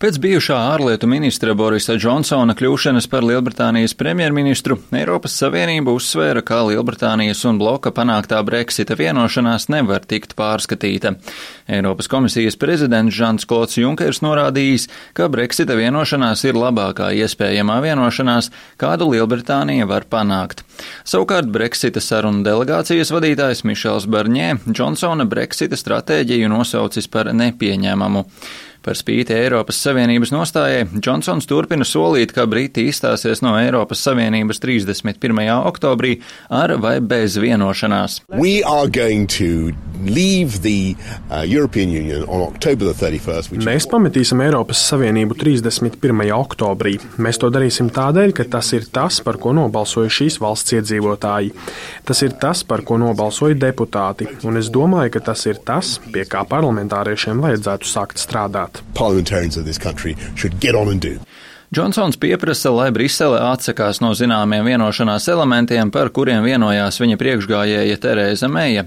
Pēc bijušā ārlietu ministra Borisa Džonsona kļūšanas par Lielbritānijas premjerministru, Eiropas Savienība uzsvēra, ka Lielbritānijas un bloka panāktā Brexita vienošanās nevar tikt pārskatīta. Eiropas komisijas prezidents Žans Klods Junkers norādījis, ka Brexita vienošanās ir labākā iespējamā vienošanās, kādu Lielbritānija var panākt. Savukārt Brexita sarunu delegācijas vadītājs Mišels Barņē Džonsona Brexita stratēģiju nosaucis par nepieņemamu. Par spīti Eiropas Savienības nostājai, Džonsons turpina solīt, ka Briti izstāsies no Eiropas Savienības 31. oktobrī ar vai bez vienošanās. Mēs pametīsim Eiropas Savienību 31. oktobrī. Mēs to darīsim tādēļ, ka tas ir tas, par ko nobalsoja šīs valsts iedzīvotāji. Tas ir tas, par ko nobalsoja deputāti, un es domāju, ka tas ir tas, pie kā parlamentāriešiem vajadzētu sākt strādāt. Džonsons pieprasa, lai Brisele atsakās no zināmiem vienošanās elementiem, par kuriem vienojās viņa priekšgājēja Terēza Meija.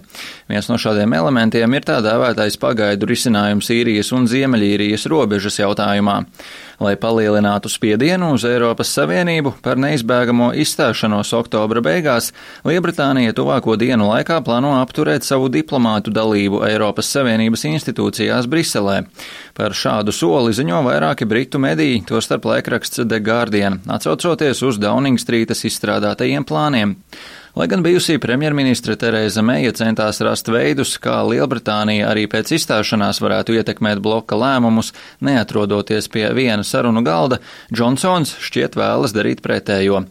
Viens no šādiem elementiem ir tā dēvētais pagaidu risinājums Īrijas un Ziemeļīrijas robežas jautājumā. Lai palielinātu spiedienu uz Eiropas Savienību par neizbēgamo izstāšanos oktobra beigās, Lielbritānija tuvāko dienu laikā plāno apturēt savu diplomātu dalību Eiropas Savienības institūcijās Briselē. Par šādu soli ziņo vairāki britu mediji, tostarp laikraksts The Guardian, atsaucoties uz Downing Streetas izstrādātajiem plāniem. Lai gan bijusī premjerministre Terēza Meija centās rast veidus, kā Lielbritānija arī pēc izstāšanās varētu ietekmēt bloka lēmumus, neatrodoties pie viena sarunu galda, Džonsons šķiet vēlas darīt pretējo.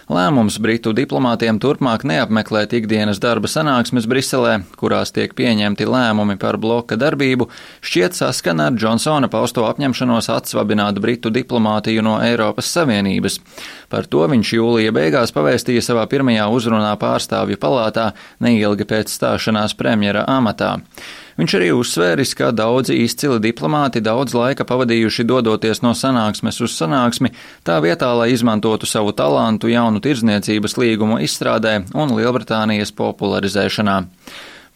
Lēmums britu diplomātiem turpmāk neapmeklēt ikdienas darba sanāksmes Briselē, kurās tiek pieņemti lēmumi par bloka darbību, šķiet saskana ar Džonsona pausto apņemšanos atsvabināt britu diplomātiju no Eiropas Savienības. Par to viņš jūlija beigās pavēstīja savā pirmajā uzrunā pārstāvju palātā neilgi pēc stāšanās premjera amatā. Viņš arī uzsvēris, ka daudzi izcili diplomāti daudz laika pavadījuši dodoties no sanāksmes uz sanāksmi, tā vietā, lai izmantotu savu talantu jaunu tirdzniecības līgumu izstrādē un Lielbritānijas popularizēšanā.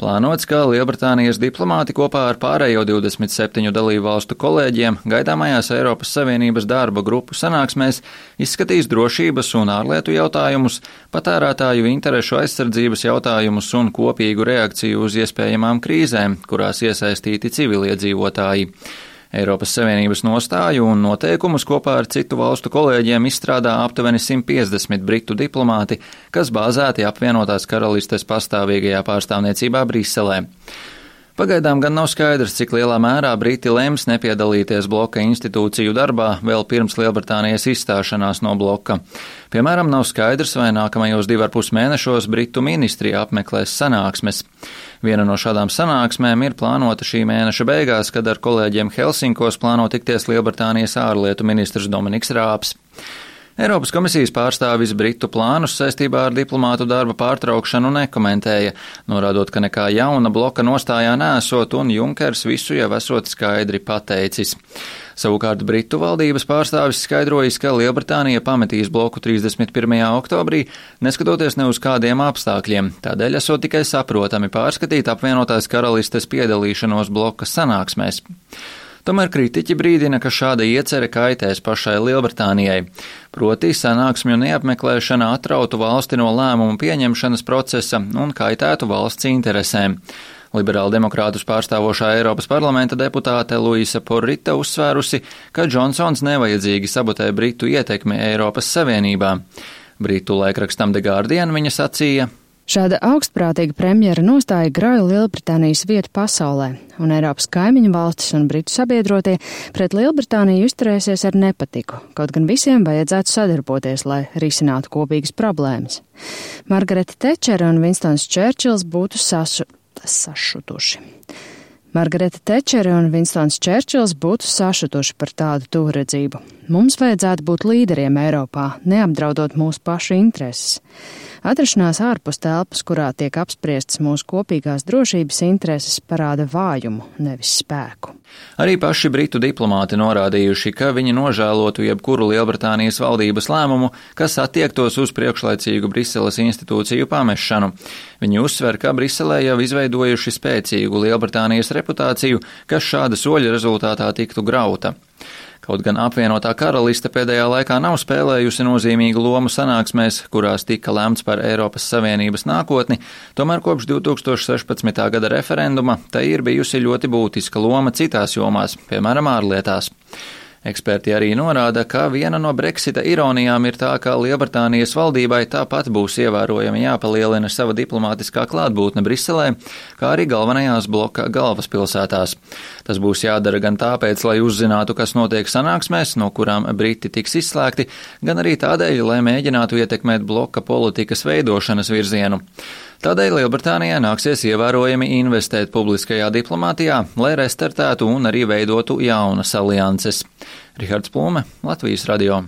Plānots, ka Lielbritānijas diplomāti kopā ar pārējo 27 dalību valstu kolēģiem gaidāmajās Eiropas Savienības darba grupu sanāksmēs izskatīs drošības un ārlietu jautājumus, patērētāju interešu aizsardzības jautājumus un kopīgu reakciju uz iespējamām krīzēm, kurās iesaistīti civiliedzīvotāji. Eiropas Savienības nostāju un noteikumus kopā ar citu valstu kolēģiem izstrādā aptuveni 150 britu diplomāti, kas bāzēti apvienotās karalistes pastāvīgajā pārstāvniecībā Briselē. Pagaidām gan nav skaidrs, cik lielā mērā Briti lems nepiedalīties bloka institūciju darbā vēl pirms Lielbritānijas izstāšanās no bloka. Piemēram, nav skaidrs, vai nākamajos 2,5 mēnešos Britu ministrija apmeklēs sanāksmes. Viena no šādām sanāksmēm ir plānota šī mēneša beigās, kad ar kolēģiem Helsinkos plāno tikties Lielbritānijas ārlietu ministrs Dominiks Rāps. Eiropas komisijas pārstāvis Britu plānus saistībā ar diplomātu darba pārtraukšanu nekomentēja, norādot, ka nekā jauna bloka nostājā nesot un Junkers visu jau esot skaidri pateicis. Savukārt Britu valdības pārstāvis skaidrojis, ka Lielbritānija pametīs bloku 31. oktobrī, neskatoties ne uz kādiem apstākļiem, tādēļ esot tikai saprotami pārskatīt apvienotās karalistes piedalīšanos bloka sanāksmēs. Tomēr kritiķi brīdina, ka šāda iecere kaitēs pašai Lielbritānijai. Proti, sanāksmju neapmeklēšana atrautu valsti no lēmumu pieņemšanas procesa un kaitētu valsts interesēm. Liberāli demokrātus pārstāvošā Eiropas parlamenta deputāte Luisa Porrita uzsvērusi, ka Džonsons nevajadzīgi sabotē Britu ietekmi Eiropas Savienībā. Britu laikrakstam The Guardian viņa sacīja: Šāda augstprātīga premjera nostāja grauj Lielbritānijas vietu pasaulē, un Eiropas kaimiņu valstis un britu sabiedrotie pret Lielbritāniju izturēsies ar nepatiku, kaut gan visiem vajadzētu sadarboties, lai risinātu kopīgas problēmas. Margareta Tečere un Vinstons Čērčils būtu sašutuši. Margareta Tečere un Vinstons Čērčils būtu sašutuši par tādu tuvredzību. Mums vajadzētu būt līderiem Eiropā, neapdraudot mūsu pašu intereses. Atrašanās ārpus telpas, kurā tiek apspriestas mūsu kopīgās drošības intereses, parāda vājumu, nevis spēku. Arī paši britu diplomāti norādījuši, ka viņi nožēlotu jebkuru Lielbritānijas valdības lēmumu, kas attiektos uz priekšlaicīgu Briseles institūciju pamešanu. Viņi uzsver, ka Briselē jau izveidojuši spēcīgu Lielbritānijas reputāciju, kas šāda soļa rezultātā tiktu grauta. Kaut gan apvienotā karaliste pēdējā laikā nav spēlējusi nozīmīgu lomu sanāksmēs, kurās tika lemts par Eiropas Savienības nākotni, tomēr kopš 2016. gada referenduma tai ir bijusi ļoti būtiska loma citās jomās, piemēram, ārlietās. Eksperti arī norāda, ka viena no Brexita ironijām ir tā, ka Lielbritānijas valdībai tāpat būs ievērojami jāpalielina sava diplomātiskā klātbūtne Briselē, kā arī galvenajās bloka galvaspilsētās. Tas būs jādara gan tāpēc, lai uzzinātu, kas notiek sanāksmēs, no kurām Briti tiks izslēgti, gan arī tādēļ, lai mēģinātu ietekmēt bloka politikas veidošanas virzienu. Tādēļ Lielbritānijai nāksies ievērojami investēt publiskajā diplomātijā, lai restartētu un arī veidotu jaunas alianses. Rihards Plūme, Latvijas radio.